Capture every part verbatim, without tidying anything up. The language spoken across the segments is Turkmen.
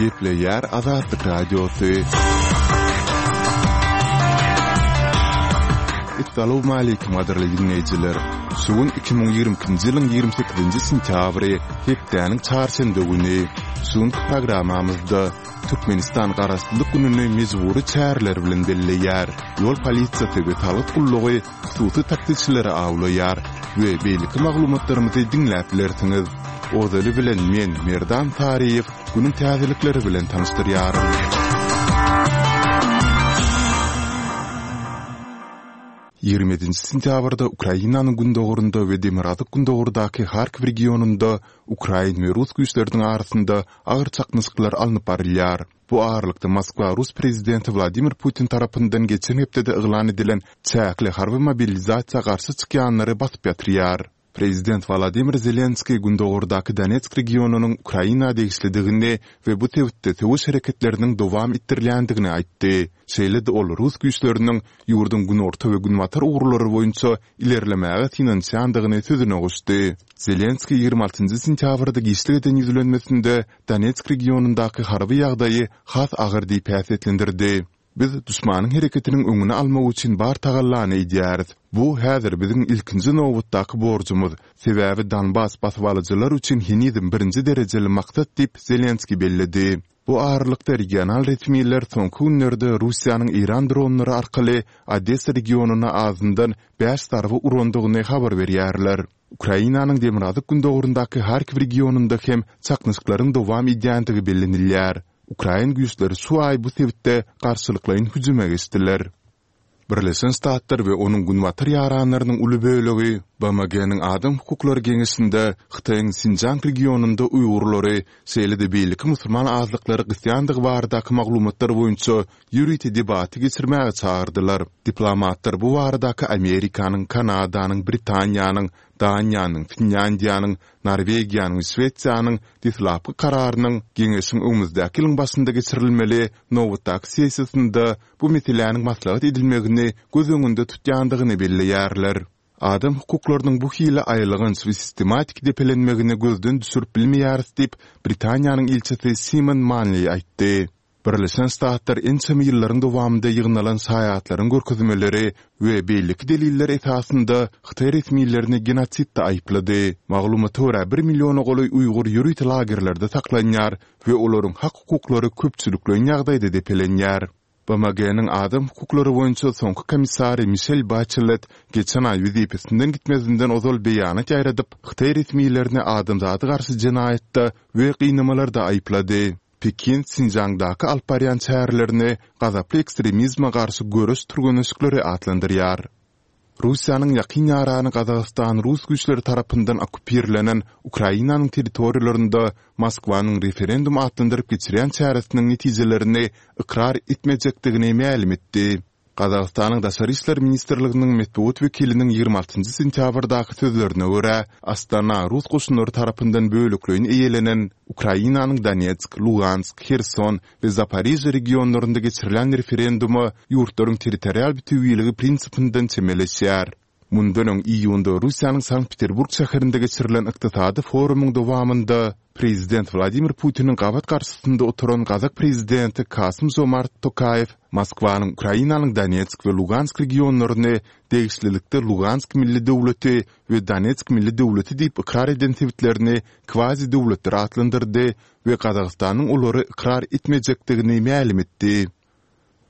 Gepleýär Azatlyk Radiosy. Essalawmaleýkim gadyrly diňleýjiler! Şu gün iki müň ýigrimi ikinji ýylyň ýigrimi sekizinji sentýabry, hepdäniň çarşenbe güni. Şu günki programmamyzda Türkmenistan Garaşsyzlyk gününi mejbury çäreler bilen belleýär. Ýol polisiýasy we salgyt gullugy hususy taksiçileri awlaýar we beýleki maglumatlarymyzy diňläp bilersiňiz. Ozaly bilen men, Merdan Saryýew, günüň täzelikleri bilen tanyşdyrýaryn. Ýigrimi ýedinji sentýabrda Ukrainanyň gündogarynda we demirgazyk-gündogardaky Harkiw regionynda ukrain we rus güýçleriniň arasynda agyr çaknyşyklar alnyp barylýar. Bu aralykda, Moskwa rus prezidenti Wladimir Putin tarapyndan geçen hepdede yglan edilen çäkli harby mobilizasiýa garşy çykýanlary basyp ýatyrýar. Prezident Wolodymyr Zelenskiý gündogardaky Donetsk regionynyň Ukraina degişlidigini we bu sebitde söweş hereketleriniň dowam etdirilýändigini aýtdy. Şeýle-de ol rus güýçleriniň ýurduň günorta we günbatar ugurlary boýunça ilerlemäge synanyşýandygyny sözüne goşdy. Zelenskiý ýigrimi altynjy sentýabrda giçlik eden ýüzlenmesinde Donetsk regionyndaky harby ýagdaýy has agyr diýip häsiýetlendirdi. Biz duşmanyň hereketiniň öňüni almak üçin bar tagallany edýäris. Bu häzir biziň ilkinji nobatdaky borjumyz, sebäbi Donbas basybalyjylar üçin henizem birinji derejeli maksat diýip, Zelenskiý belledi. Bu aralykda, regional resmiler soňky günlerde Russiýanyň eýran dronlary arkaly Odessa regionyna azyndan bäş zarba urandygyny habar berýärler. Ukrainanyň demirgazyk-gündogaryndaky Harkiw regionynda hem çaknyşyklaryň dowam edýändigi bellenilýär. Ukrain güýçleri şu aý bu sebitde garşylyklaýyn hüjüme geçdiler. Birleşen Ştatlar we onuň günbatar ýaranlarynyň uly bölegi BMG-niň Adam hukuklary geňeşinde Hytaýyň Sinjiang regionynda uýgurlary, şeýle-de beýleki musulman azlyklary gysýandygy baradaky maglumatlar boýunça ýörite debaty geçirmäge çagyrdylar. Diplomatlar bu baradaky Amerikanyň, Kanadanyň, Britaniýanyň, Daniýanyň, Finlýandiýanyň, Norwegiýanyň we Şwesiýanyň deslapky kararynyň Geňeşiň öňümizdäki ýylyň başynda geçirilmeli nobatdaky sessiýasynda bu meseläniň maslahat edilmegini göz öňünde tutýandygyny belleýärler. Adam hukuklarynyň bu hili aýylganç we sistematik depelenmegini gözden düşürip bilmeýäris diýip, Britaniýanyň ilçisi Simon Manliý aýtdy. Birleşen Ştatlar ençeme ýyllaryň dowamynda ýygnalan şaýatlaryň görkezmeleri we beýleki deliller esasynda hytaý resmilerini genosidde aýyplady. Maglumata görä, bir milliona golaý uýgur ýörite lagerlerde saklanýar we olaryň hak-hukuklary köpçülikleýin ýagdaýda depelenýär. BMG-niň adam hukuklary boýunça soňky komissary Mişel Baçelet geçen aý wezipesinden gitmezinden ozal beýanat ýaýradyp, hytaý resmilerini adamzada garşy jenaýatda we gynamalarda aýyplady. Pekin Sinjiangdaky alyp barýan çärelerini gazaply ekstremizme garşy göreş türgenleşikleri atlandyrýar. Russiýanyň ýakyn ýarany Gazagystan rus güýçleri tarapyndan okkupirlenen Ukrainanyň territoriýalarynda Moskwanyň referendum atlandyryp geçirýän çäresiniň netijelerini ykrar etmejekdigini mälim etdi. Gazagystanyň Daşary işler ministrliginiň metbugat wekiliniň ýigrimi altynjy sentýabrdaky sözlerine görä, Astana rus goşunlary tarapyndan bölekleýin eýelenen Ukrainanyň Donetsk, Lugansk, Herson we Zaporižýa regionlarynda geçirilen referenduma ýurtlaryň territorial bütewiligi prinsipinden çemeleşýär. Mundan öň iýunda Russiýanyň Sankt-Peterburg şäherinde geçirilen ykdysady forumyň dowamynda prezident Wladimir Putiniň gabat garşysynda oturan gazak prezidenti Kasym-Žomart Tokaýew Moskwanyň Ukrainanyň Donetsk we Lugansk regionlaryny degişlilikde Lugansk milli döwleti we Donetsk milli döwleti diýip ykrar eden sebitlerini kwazi-döwletler atlandyrdy we Gazagystanyň olary ykrar etmejekdigini mälim etdi.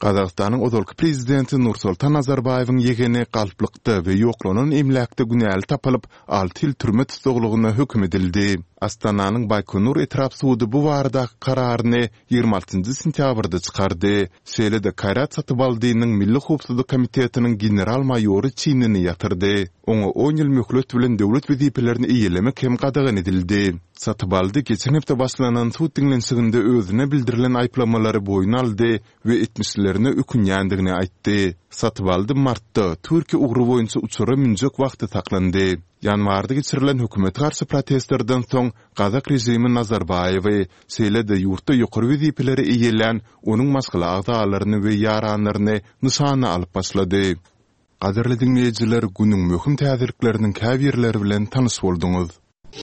Gazagystanyň ozalky prezidenti Nursultan Nazarbaýewiň ýegeni galplykda we ýoklanan emläkde günäli tapylyp, alty ýyl türme tussaglygyna höküm edildi. Astananyň Baýkonur etrap sudy bu baradaky kararyny ýigrimi altynjy sentýabrda çykardy. Şeýle-de Kaýrat Satybaldynyň Milli howpsuzlyk komitetiniň general-maýory çinini ýatyrdy. Oňa on ýyl möhlet bilen döwlet wezipelerini eýelemek hem gadagan edildi. Satybaldy geçen hepde başlanan sud diňlenişiginde özüne bildirilen aýyplamalary boýun aldy we etmişlerine ökünýändigini aýtdy. Satybaldy martda Türkiýe ugry boýunça uçara münjek wagty saklandy. Ýanwarda geçirilen hökümete garşy protestlerden soň gazak režimi Nazarbaýewi, şeýle-de ýurtda ýokary wezipeleri eýelän onuň maşgala agzalaryny we ýaranlaryny nyşana alyp başlady. Gadyrly diňleýjiler, günüň möhüm täzelikleriniň käbirleri bilen tanyş bolduňyz.